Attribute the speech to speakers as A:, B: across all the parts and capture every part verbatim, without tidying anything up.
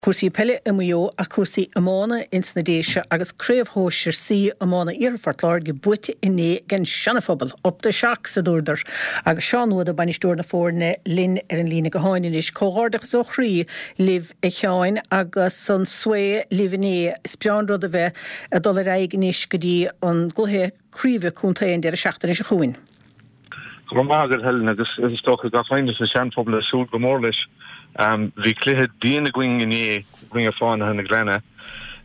A: Cúrsaí peile i Maigh Eo ach cúrsaí iomána ins na Déise agus Craobh Shóisir C Iomána Iarthar Phort Láirge buaite inné ag an Seana-Phobal. Up the Shocks, a dúradar. Agus Seán Ó Dubhda, bainisteoir na foirne, linn ar an líne gutháin anois. Comhghairdeachas ó chroí libh a Sheáin agus an svae libh inné. Is breá an rud a bheith ag dul ar aghaidh anois go dtí an gcluiche craoibhe contae an deireadh seachtaine seo chugainn.
B: Go raibh maith agat Helen agus is dócha gach éinne sa Seanphobal ag súil go mór leis. Bhí cluiche dian againn inné i gcoinne Fánaithe na Gleanna.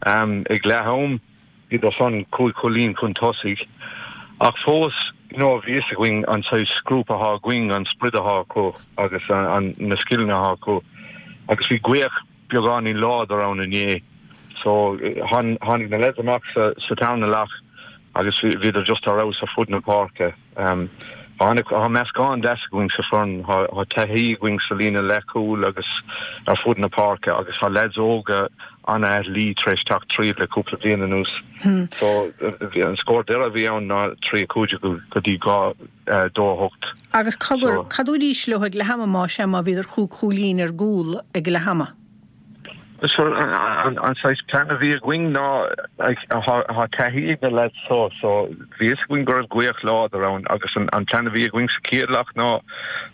B: Ag leath am bhíodar san cúig chúilín chun tosaigh ach fós you know bhí fhios againn an saghas grúpa atá againn, an sprid atá acu agus na scileanna atá acu agus bhí gaoth beagáinín láidir ann inné so tháinig na lads amach sa sa tarna leath agus bhíodar just ar fheabhas ar fud na páirce. Tá meascán deas againn sa foireann, tá taithí againn sa líne leathchúil agus ar fud na páirce agus tá lads óga an-athlí tar éis teacht tríd le cúpla bliain anuas. So an scór deireadh a bhí ann ná trí a cúig déag go dtí dhá dó a hocht.
A: Agus cogar, cad dúraís leo ag leath ama más ea má bhíodar chúig chúilín ar gcúl ag leath ama?
B: So an saghas plean a bhí againn ná tá taithí ag na lads so so bhí fhios againn go raibh gaoth láidir ann agus an plean a bhí againn sa chéad leath ná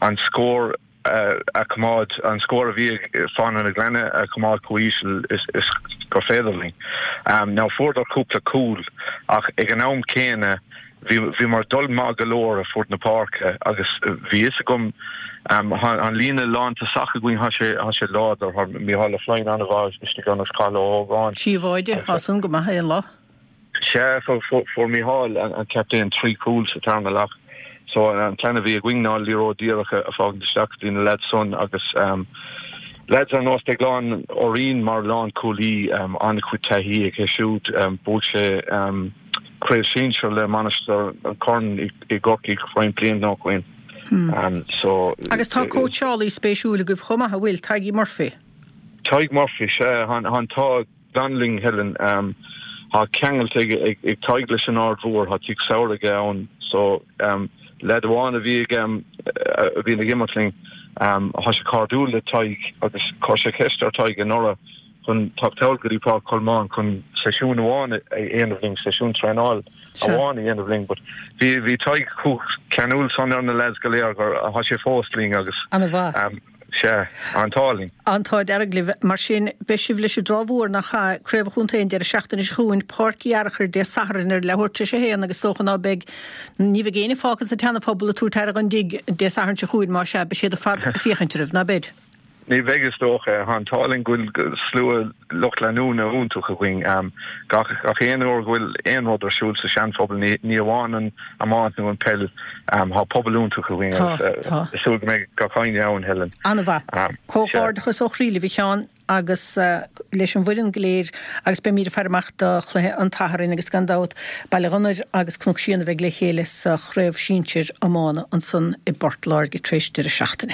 B: an scór a choimeád, an scór a bhí ag Fánaithe na Gleanna a choimeád chomh íseal is gur féidir linn. Now fuaireadar cúpla cúl ach ag an am céanna Bhíomar ag dul maith go leor ar fud na páirce agus bhí fhios agam tá an líne lántosach againn, tá sé tá sé láidir, tá Mícheál Ó Floinn an-mhaith istigh ann agus Cathal Ó hÓgáin.
A: Síobháide, tá san go maith aon lá.
B: Sea, fuair Mícheál, an captaen, trí chúl sa tarna leath. So an plean a bhí againn ná liathróid díreach a fhágaint isteach go dtí na lads san agus lads ar nós Déaglán Ó Riain mar lánchúlaí, an-chuid taithí aige siúd, bhuaigh sé Craobh Sinsir le Mainistir an Chorn i gCorcaigh roinnt blianta ó shoin. So.
A: Agus tá cóitseálaí spéisiúil agaibh chomh maith, an bhfuil? Tadhg Murphy.
B: Tadhg Murphy, sea. Tá an t-ádh glan linn, Helen. Tá ceangal ag Tadhg leis an Aird Mhór, tá tigh samhraidh aige ann. So, leaid amháin a bhí aige a bhíonn ag imirt linn, tá sé cairdiúil le Tadhg agus chuir sé ceist ar Tadhg anuraidh chun teacht thall go dtí Páirc Cholmáin chun seisiún amháin a dhéanamh linn, seisiún traenáil amháin a dhéanamh linn but bhí bhí Tadhg chomh ceanúil san ar na lads go léir gur tá sé fós linn agus
A: An-mhaith.
B: sea, an t-ádh linn.
A: An t-ádh dearg libh. Mar sin, beidh sibh leis an dTrá Mhór nach ea, Craobh an Chontae an deireadh seachtaine seo chugainn, Páirc Uí Fhearchair Dé Sathairn ar leathuair tar éis a haon agus is dócha ná beidh, ní bheidh éinne fágtha sa tSeana-Phobal ag tabhairt aire don dtigh Dé Sathairn seo chugainn, más ea, beidh siad ar fad ag féachaint oraibh, ná beid?
B: Ní bheidh is dócha. Tá an t-ádh linn go bhfuil slua lucht leanúna iontach againn. Gach aon uair go bhfuil aon rud ar siúl sa Seanphobal, ní amháin an iomáint nó an peil, tá pobal iontach againn agus ag súil go mbeidh gach éinne ann, Helen.
A: An-mhaith. Comhghairdeachas ó chroí libh a Sheáin agus leis an bhfoireann go léir agus beimid ag faire amach do chluiche an tSathairn agus gan dabht Baile Ghunnair agus Cnoc Síon a bheidh le chéile sa chraobh sinsir iomána ansan i bPort Láirge tar éis deireadh seachtaine.